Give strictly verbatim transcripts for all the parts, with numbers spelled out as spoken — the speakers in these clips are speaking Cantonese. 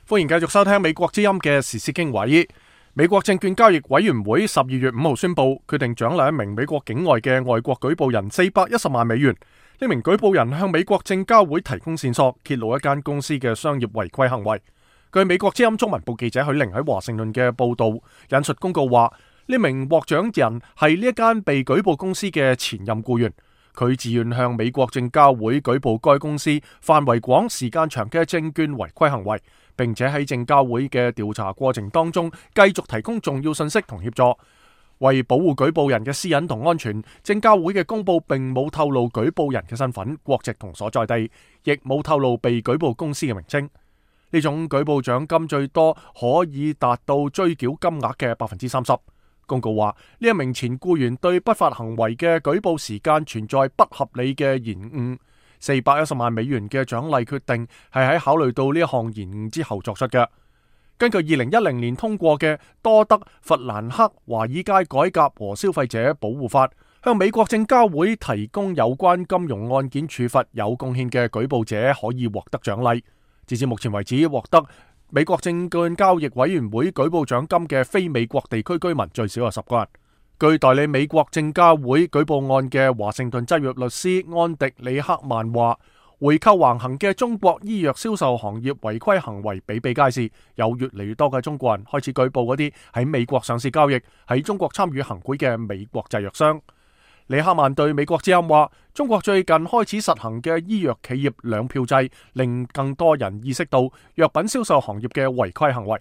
歡迎繼續收聽美國之音嘅時事經緯。美國證券交易委員會十二月五號宣布，決定獎勵一名美國境外嘅外國舉報人四百一十萬美元。呢名舉報人向美國證交會提供線索，揭露一間公司嘅商業違規行為。據美國之音中文部記者許玲喺華盛頓嘅報道，引述公告話，呢名獲獎人係呢一間被舉報公司嘅前任僱員。佢自願向美國證交會舉報該公司範圍廣、時間長嘅證券違規行為，並且喺證交會嘅調查過程當中繼續提供重要信息同協助。為保護舉報人嘅私隱同安全，證交會嘅公佈並冇透露舉報人嘅身份、國籍同所在地，亦冇透露被舉報公司嘅名稱。呢種舉報獎金最多可以達到追繳金額嘅百分之三十。公告話，呢一名前僱員對不法行為嘅舉報時間存在不合理嘅延誤。四百一十萬美元嘅獎勵決定係喺考慮到呢一項延誤之後作出嘅。根據二零一零年通過嘅多德弗蘭克華爾街改革和消費者保護法，向美國證交會提供有關金融案件處罰有貢獻嘅舉報者可以獲得獎勵。截至目前為止，獲得美國證券交易委員會舉報獎金嘅非美國地區居民最少有十個人。據代理美國證交會舉報案嘅華盛頓執業律師安迪里克曼話，回扣橫行嘅中國醫藥銷售行業違規行為比比皆是，有越嚟越多嘅中國人開始舉報嗰啲喺美國上市交易、喺中國參與行賄嘅美國製藥商。里克曼對美國之音話，中國最近開始實行嘅醫藥企業兩票制，令更多人意識到藥品銷售行業嘅違規行為。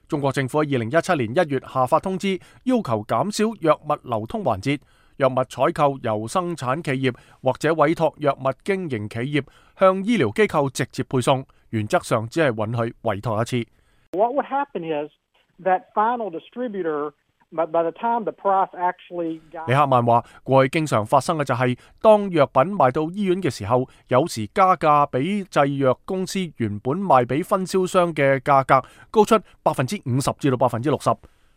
中國政府喺二零一七年一月下發通知，要求減少藥物流通環節，藥物採購由生產企業或者委託藥物經營企業向醫療機構直接配送，原則上只係允許委託一次。What would happen is that final distributor But by the time the price actually got... 李克曼話，過去經常發生嘅就係、是、當藥品賣到醫院嘅時候，有時加價比製藥公司原本賣俾分銷商嘅價格高出百分之五十至到百分之六十。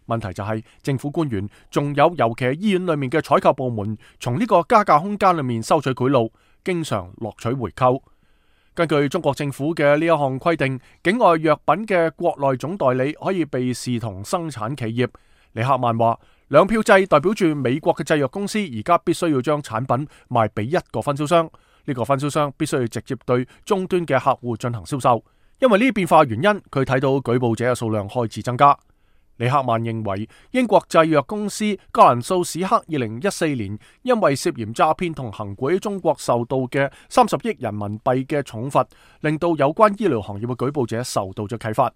問題就係、是、政府官員仲有尤其係醫院裏面嘅採購部門，從呢個加價空間裏面收取賄賂，經常獲取回扣。根據中國政府嘅呢一項規定，境外藥品嘅國內總代理可以被視同生產企業。李克曼話，兩票制代表住美國嘅製藥公司而家必須要將產品賣俾一個分銷商，呢、這個分銷商必須要直接對終端嘅客戶進行銷售。因為呢啲變化原因，佢睇到舉報者嘅數量開始增加。李克曼認為，英國製藥公司格蘭素史克二零一四年因為涉嫌詐騙同行賄中國受到嘅三十億人民幣嘅重罰，令到有關醫療行業嘅舉報者受到咗啟發。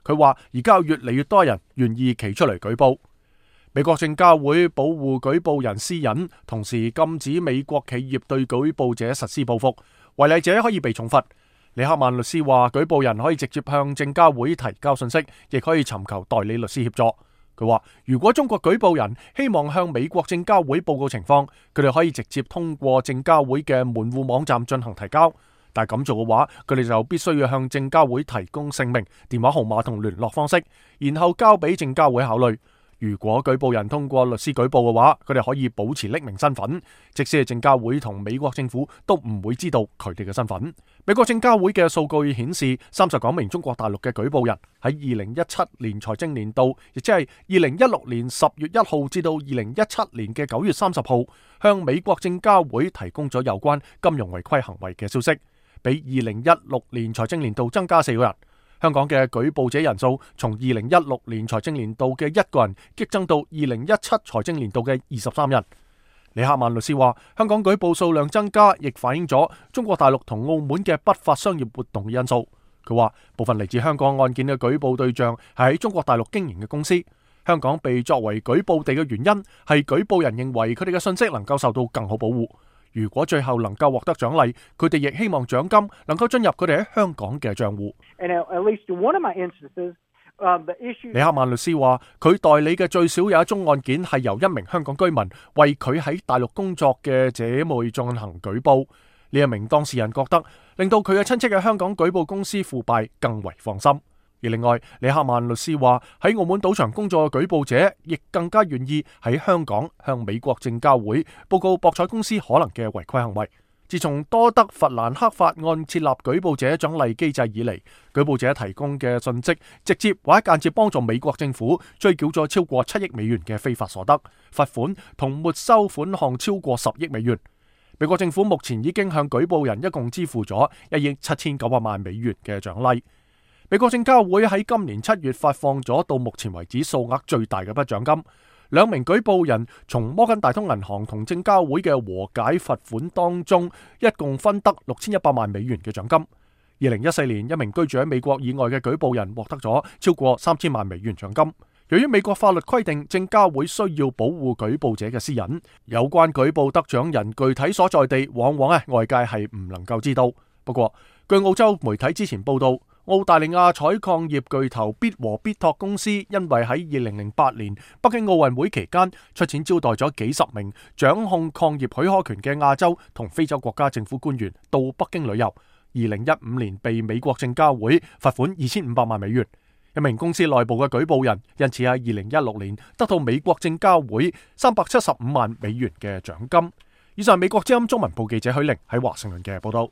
佢話而家有越嚟越多人願意企出嚟舉報。美國證交會保護舉報人私隱，同時禁止美國企業對舉報者實施報復，違例者可以被重罰。里克曼律師話，舉報人可以直接向證交會提交信息，亦可以尋求代理律師協助。佢話如果中國舉報人希望向美國證交會報告情況，佢哋可以直接通過證交會嘅門戶網站進行提交。但係咁做嘅話，佢哋就必須要向證交會提供姓名、電話號碼同聯絡方式，然後交俾證交會考慮。如果舉報人通過律師舉報嘅話，佢哋可以保持匿名身份，即使係證交會同美國政府都唔會知道佢哋嘅身份。美國證交會嘅數據顯示，三十九名中國大陸嘅舉報人喺二零一七年財政年度，亦即係二零一六年十月一號至到二零一七年嘅九月三十號，向美國證交會提供咗有關金融違規行為嘅消息，比二零一六年財政年度增加四個人。香港嘅舉報者人數從二零一六年財政年度嘅一個人激增到二零一七財政年度嘅二十三人。李克曼律師話，香港舉報數量增加，亦反映咗中國大陸同澳門嘅不法商業活動嘅因素。佢話部分嚟自香港案件嘅舉報對象係喺中國大陸經營嘅公司，香港被作為舉報地嘅原因係舉報人認為佢哋嘅信息能夠受到更好保護。如果最後能夠獲得獎勵，佢哋亦希望獎金能夠進入佢哋喺香港嘅賬戶。李克曼律師話，佢代理嘅最少有一宗案件係由一名香港居民為佢喺大陸工作嘅姐妹進行舉報。呢一名當事人覺得令到佢嘅親戚嘅香港舉報公司腐敗更為放心。而另外，李克曼律師話喺澳門賭場工作嘅舉報者亦更加願意喺香港向美國證交會報告博彩公司可能嘅違規行為。自從多德弗蘭克法案設立舉報者獎勵機制以嚟，舉報者提供嘅信息直接或者間接幫助美國政府追繳咗超過七億美元嘅非法所得，罰款同沒收款項超過十億美元。美國政府目前已經向舉報人一共支付咗一億七千九百萬美元嘅獎勵。美國證交會喺今年七月發放咗到目前為止數額最大嘅筆獎金。兩名舉報人從摩根大通銀行同證交會嘅和解罰款當中，一共分得六千一百萬美元嘅獎金。二零一四年，一名居住喺美國以外嘅舉報人獲得咗超過三千萬美元獎金。由於美國法律規定證交會需要保護舉報者嘅私隱，有關舉報得獎人具體所在地，往往咧外界係唔能夠知道。不過，據澳洲媒體之前報道，澳大利亞採礦業巨頭必和必拓公司因為喺二零零八年北京奧運會期間出錢招待咗幾十名掌控礦業許可權嘅亞洲同非洲國家政府官員到北京旅遊，二零一五年被美國證交會罰款二千五百萬美元。一名公司內部嘅舉報人因此喺二零一六年得到美國證交會三百七十五萬美元嘅獎金。以上係美國之音中文部記者許玲喺華盛頓嘅報道。